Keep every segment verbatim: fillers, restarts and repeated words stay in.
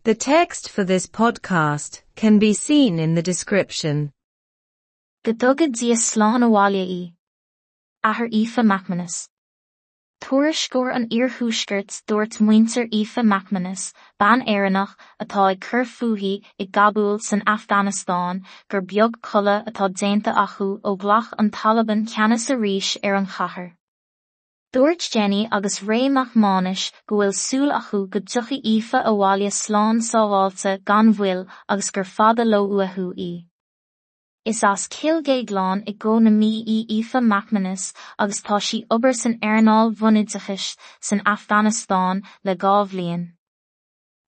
The text for this podcast can be seen in the description. Go dtuga Dia slán abhaile í. Athair Aoife McManus. Tuairisceoir an Iarthuaiscirt dúirt muintir Aoife McManus, bean Éireannach atá ag cur fúithi i gCabúl san Afganastáin gur beag codladh atá déanta acu ó ghlac an Taliban ceannas arís ar an chathair. Dúirt Jenny agus Ray Mac Mánais go bhfuil súil acu go dtiocfaidh Aoife abhaile slán sábháilte gan mhoill agus gur fada leo uathu í. Is as Cill Dhéagláin i gCo na Mí í Aoife McManus agus tá sí obair san earnáil bhunoideachais san Afganastáin le dhá bhliain.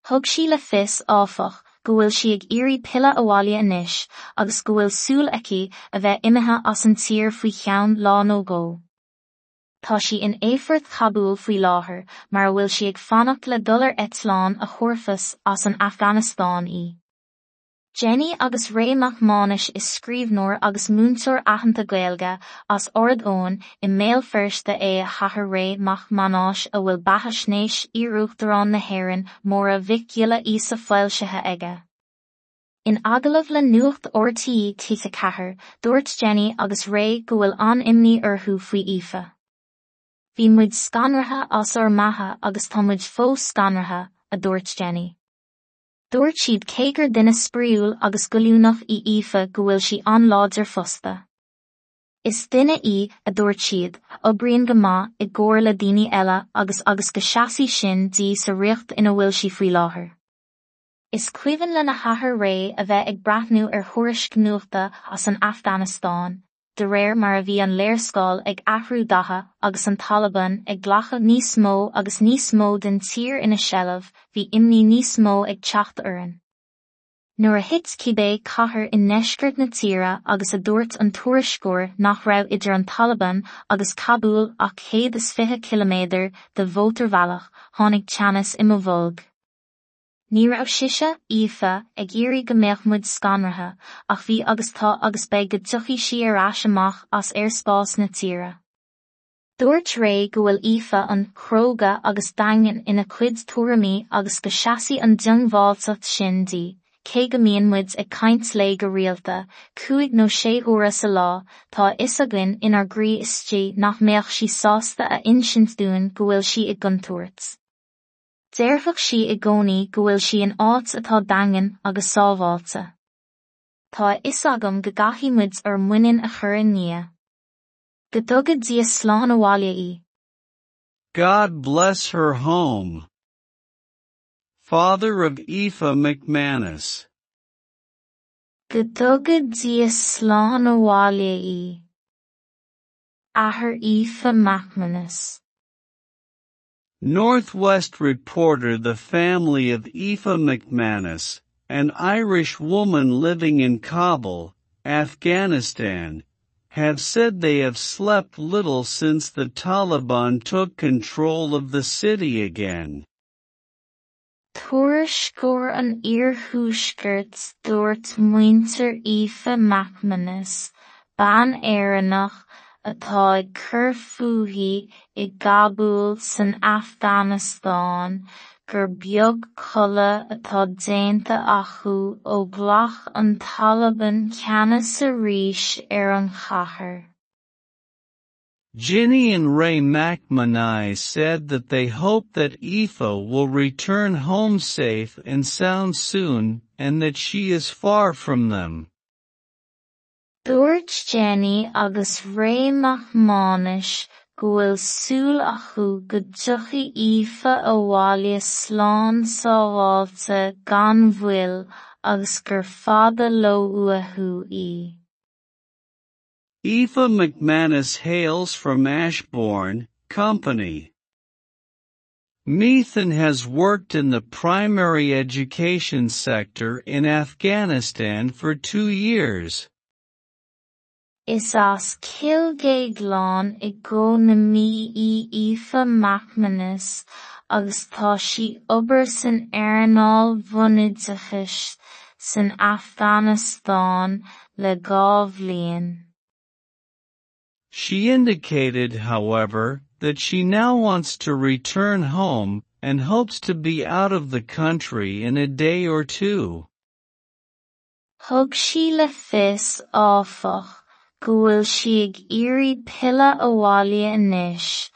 Thug sí le fios, áfach, go bhfuil sí ag iarraidh pilleadh abhaile anois agus go bhfuil súil aici a bheith imithe as an tír faoi cheann lá nó dhó. Tá sí in aerfort Chabúl faoi láthair mar a bhfuil sí ag fanacht le dul ar eitleán a thabharfas as an Afganastáin í. Jenny agus Ray Mac Mánais is scríbhneoir agus múinteoir aitheanta Gaeilge as Ard Eoin i mBéal Feirste é a hathair Ray Mac Mánáis a bhfuil beathaisnéis iar-uachtarán na hÉireann Máire Mhic Giolla Íosa foilsithe aige. In agallamh le Nuacht RTÉ T ceathair, dúirt Jenny agus Ray go bhfuil an-imní orthu faoi Aoife. Bhí muid scanraithe as ár mbeatha agus tá muid fós scanraithe, a dúirt Jenny. Dúirt siad cé gur duine spraíúil agus goilliúnach í Aoife go bhfuil sí an-láidir fosta. Is duine í, a dúirt siad, a oibríonn go maith i gcomhar le daoine eile agus agus go seasfaidh sin di sa riocht ina bhfuil sí faoi láthair. Is cuimhin lena hathair Ray a bheith ag breathnú ar thuairisc nuachta as an Afganastáin, de réir mar a bhí an léarscáil ag athrú datha agus an Taliban ag glacadh níos mó agus níos mó den tír ina seilbh, bhí imní níos mó ag teacht orainn. Nuair a thit cibé cathair i ndeisceart na tíre agus a dúirt an tuairisceoir nach raibh idir an Taliban agus Cabúl ach céad is fiche ciliméadar de mhótarbhealach, tháinig teannas i mo bholg. Ní raibh sise, Aoife, ag iarraidh go mbeadh muid scanraithe, ach bhí agus tá agus beidh go dtiocfaidh sí ar ais amach as aerspás na tíre. Dúirt Ray go bhfuil Aoife an-chróga agus daingean ina cuid tuairimí agus go seasfaidh an diongbháilteacht sin di, cé go mbíonn muid ag caint léi go rialta, cúig nó sé huaire sa lá, tá a fhios againn inár gcroí istigh nach mbeadh sí sásta a insint dúinn go bhfuil sí i gcontúirt. Déarfadh sí i gcónaí go bhfuil sí in áit atá daingean agus sábháilte. Tá a fhios agam go gcaithfidh muid ár muinín a chur i nDia. Go dtuga Dia slán abhaile í. God bless her home. Father of Aoife McManus. Go dtuga Dia slán abhaile í. Athair Aoife McManus. Northwest reporter The family of Aoife McManus, an Irish woman living in Kabul, Afghanistan, have said they have slept little since the Taliban took control of the city again. Tuairisceoir an Iarthuaiscirt dúirt muintir Aoife McManus, bean Éireannach, atá ag cur fúithi i gCabúl san Afganastáin, gur beag codladh atá déanta acu ó ghlac an Taliban ceannas arís ar an chathair. Ginny and Ray McManus said that they hope that Aoife will return home safe and sound soon and that she is far from them. Dúirt Jenny agus Ray Mac Mánais go bhfuil súil acu go dtiocfaidh Aoife abhaile slán sábháilte gan mhoill agus gur fada leo uathu í. Aoife McManus hails from Ashbourne, Company. Meath and has worked in the primary education sector in Afghanistan for two years. Is as Cill Dhéagláin i gCo na Mí í Aoife McManus agus tá sí obair san earnáil bhunoideachais san Afganastáin le dhá bhliain. She indicated, however, that she now wants to return home and hopes to be out of the country in a day or two. Thug sí le fios, áfach, go bhfuil sí ag iarraidh pilleadh abhaile anois,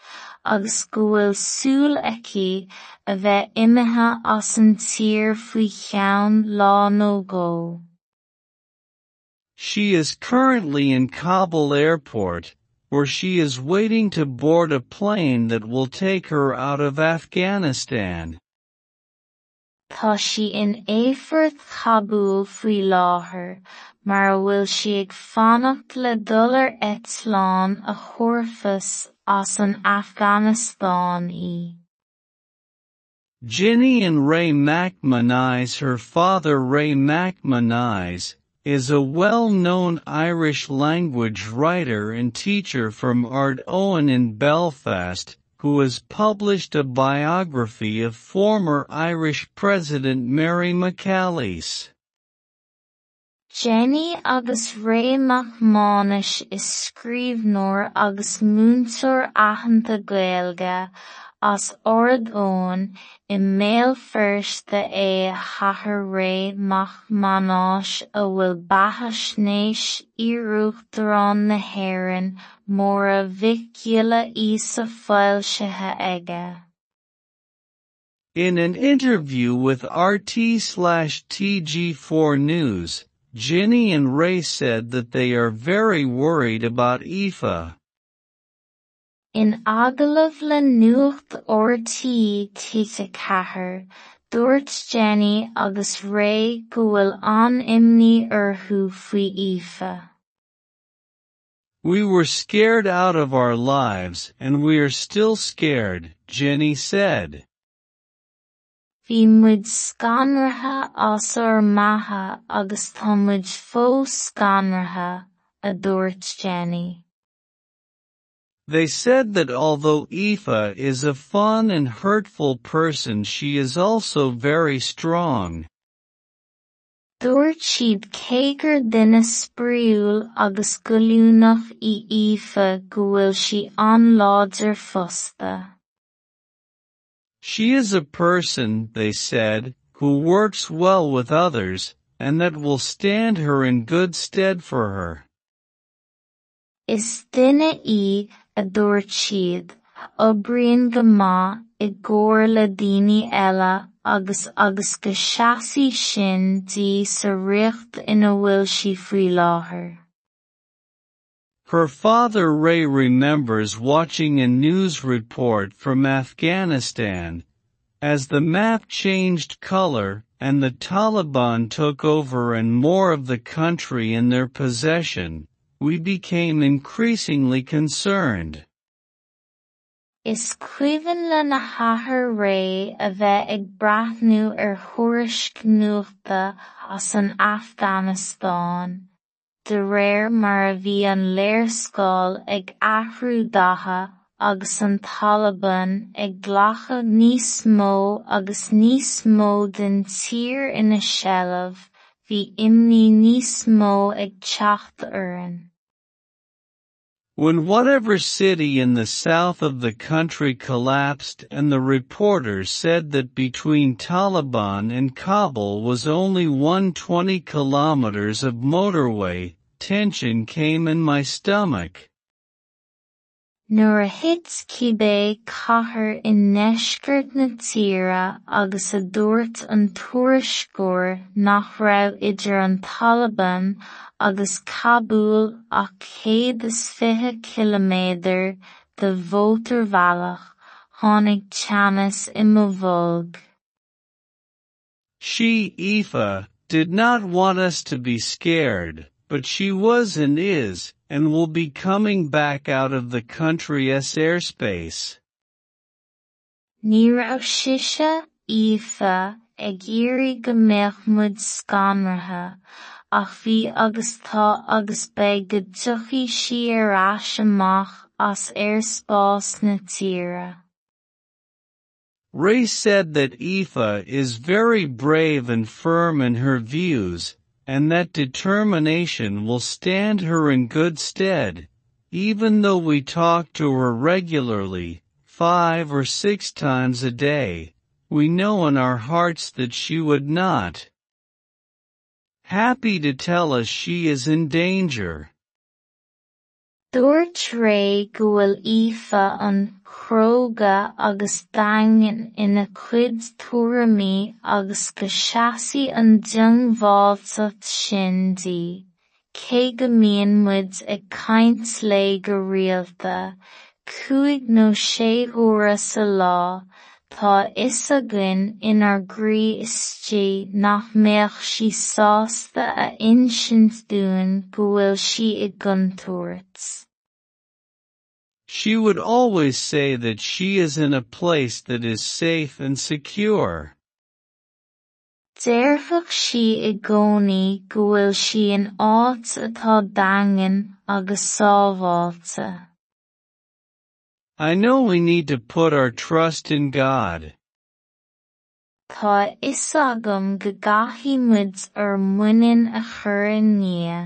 agus go bhfuil súil aici a bheith imithe as an tír faoi cheann lá nó dhó. She is currently in Kabul Airport, where she is waiting to board a plane that will take her out of Afghanistan. Tá sí in Aerfort Chabúl faoi láthair, mar a bhfuil sí ag fanacht le dul ar eitleán a thabharfas as an Afganastáin í. Ginny and Ray McManus Her father Ray McManus is a well-known Irish-language writer and teacher from Ard Owen in Belfast, who has published a biography of former Irish President Mary McAleese. Jenny agus Ray Mac Mánais is scríbhneoir agus múinteoir aitheanta Gaeilge as Ard Eoin i mBéal Feirste é a hathair Ray Mac Mánais a bhfuil beathaisnéis iar-Uachtarán na hÉireann Máire Mhic Giolla Íosa foilsithe aige. In an interview with RT slash TG four News, Ginny and Ray said that they are very worried about Aoife. In agallamh le nuacht RT TG ceathair, dúirt Jenny agus Ray go bhfuil an-imní orthu faoi Aoife. We were scared out of our lives and we are still scared, Jenny said. Bhí muid scanraithe as ár mbeatha agus tá muid fós scanraithe, a dúirt Jenny. They said that although Aoife is a fun and hurtful person, she is also very strong. Dúirt siad cé gur duine spraíúil agus goilliúnach í Aoife go bhfuil sí an-láidir fosta. She is a person, they said, who works well with others, and that will stand her in good stead for her. Is duine í, a dúirt siad, oibríonn go maith i gcomhar le daoine eile agus agus go seasfaidh sin di sa riocht ina bhfuil sí faoi láthair. Her father Ray remembers watching a news report from Afghanistan, as the map changed color and the Taliban took over and more of the country in their possession. We became increasingly concerned. Is cuimhin lena hathair Ray a bheith ag breathnú ar thuairisc nuachta as an Afganastáin, de réir mar a bhí an léarscáil ag athrú datha agus an Taliban ag glacadh níos mó agus níos mó den tír ina seilbh, bhí imní níos mó ag teacht orainn. When whatever city in the south of the country collapsed and the reporter said that between Taliban and Kabul was only one hundred twenty kilometers of motorway, tension came in my stomach. Nuair a thit cibé cathair i ndeisceart na tíre agus a dúirt an tuairisceoir nach raibh idir an Taliban agus Cabúl ach céad is fiche ciliméadar de mhótarbhealach, tháinig teannas i mo bholg. She, Aoife, did not want us to be scared, but she was and is, and will be coming back out of the country's airspace. Ní raibh sise, Aoife, ag iarraidh go mbeadh muid scanraithe, ach bhí agus tá agus beidh go dtiocfaidh sí ar ais amach as aerspás na tíre. Ray said that Aoife is very brave and firm in her views, and that determination will stand her in good stead, even though we talk to her regularly, five or six times a day. we know in our hearts that she would not happy to tell us she is in danger. Dúirt Ray go bhfuil Aoife an chróga agus daingean ina cuid tuairimí agus go seasfaidh an diongbháilteacht sin di, cé go mbíonn muid ag caint léi go rialta, cúig nó sé huaire sa lá, tá a fhios againn inár gcroí istigh nach mbeadh sí sásta a insint dúinn go bhfuil sí i gcontúirt. She would always say that she is in a place that is safe and secure. Déarfadh sí i gcónaí go bhfuil sí in áit atá daingean agus sábháilte. I know we need to put our trust in God. Tá a fhios agam go gcaithfidh muid ár muinín a chur i nDia.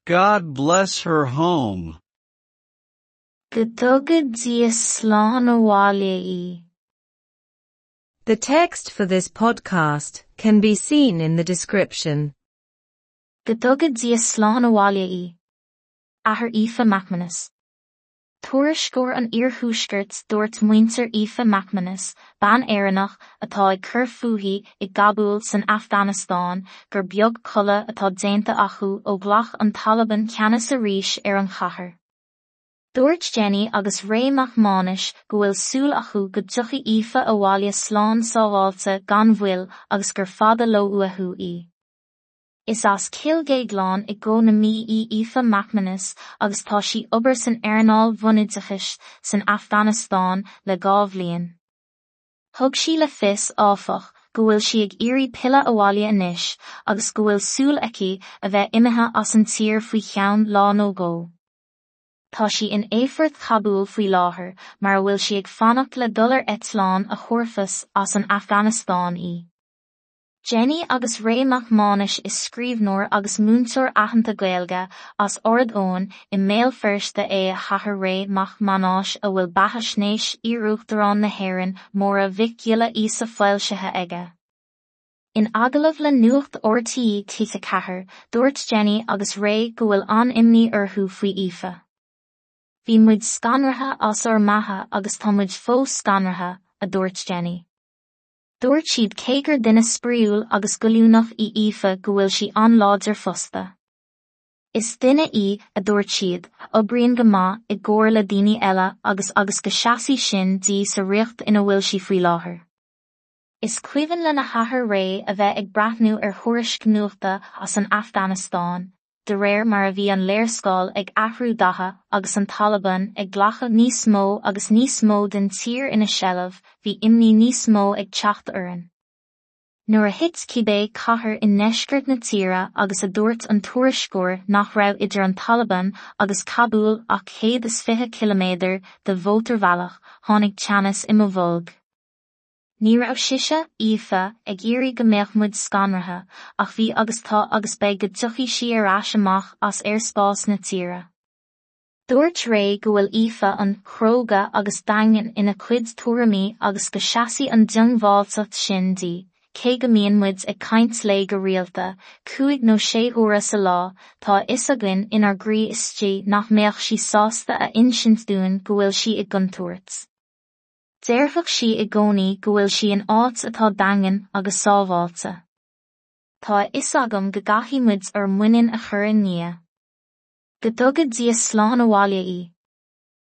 God bless her home. Go dtuga Dia slán abhaile í. The text for this podcast can be seen in the description. Go dtuga Dia slán abhaile í. Athair Aoife McManus. Tuairisceoir an Iarthuaiscirt dúirt muintir Aoife McManus, bean Éireannach atá ag cur fúithi i gCabúl san Afganastáin gur beag codladh atá déanta acu ó ghlac an Taliban ceannas arís ar an chathair. Dúirt Jenny agus Ray Mac Mánais go bhfuil súil acu go dtiocfaidh Aoife abhaile slán sábháilte gan mhoill agus gur fada leo uathu í. Is as Cill Dhéagláin i gCo na Mí í Aoife McManus agus tá sí obair san earnáil bhunoideachais san Afganastáin le dhá bhliain. Thug sí le fios, áfach, go bhfuil sí ag iarraidh pilleadh abhaile anois agus go bhfuil súil aici a bheith imithe as an tír faoi cheann lá nó dhó. Tá sí in aerfort Chabúl faoi láthair mar a bhfuil sí ag fanacht le dul ar eitleán a thabharfas as an Afganastáin í. Jenny agus Ray Mac Mánais is scríbhneoir agus múinteoir aitheanta Gaeilge as Ard Eoin i mBéal Feirste é a hathair Ray Mac Mánáis a bhfuil beathaisnéis iar-uachtarán na hÉireann Máire Mhic Giolla Íosa foilsithe aige. In agallamh le Nuacht RTÉ T ceathair, dúirt Jenny agus Ray go bhfuil an-imní orthu faoi Aoife. Bhí muid scanraithe as ár mbeatha agus tá muid fós scanraithe, a dúirt Jenny. Dúirt siad cé gur duine spraíúil agus goilliúnach í Aoife go bhfuil sí an-láidir fosta. Is duine í, a dúirt siad, a oibríonn go maith i gcomhar le daoine eile agus agus go seasfaidh sin di sa riocht ina bhfuil sí faoi láthair. Is cuimhin lena hathair Ray a bheith ag breathnú ar thuairisc nuachta as an Afganastáin, de réir mar a bhí an léarscáil ag athrú datha agus an Taliban ag glacadh níos mó agus níos mó den tír ina seilbh, bhí imní níos mó ag teacht orainn. Nuair a thit cibé cathair i ndeisceart na tíre agus a dúirt an tuairisceoir nach raibh idir an Taliban agus Cabúl ach céad is fiche ciliméadar de mhótarbhealach, tháinig teannas i mo bholg. Ní raibh sise, Aoife, ag iarraidh go mbeadh muid scanraithe, ach bhí agus tá agus beidh go dtiocfaidh sí ar ais amach as aerspás na tíre. Dúirt Ray go bhfuil Aoife an chróga agus daingean ina cuid tuairimí agus go seasfaidh an diongbháilteacht sin di, cé go mbíonn muid ag caint léi go rialta, cúig nó sé huaire sa lá, tá a fhios againn inár gcroí istigh nach mbeadh sí sásta a insint dúinn go bhfuil sí i gcontúirt. Déarfadh sí i gcónaí go bhfuil sí in áit atá daingean agus sábháilte. Tá a fhios agam go gcaithfidh muid ár muinín a chur i nDia. Go dtuga Dia slán abhaile í.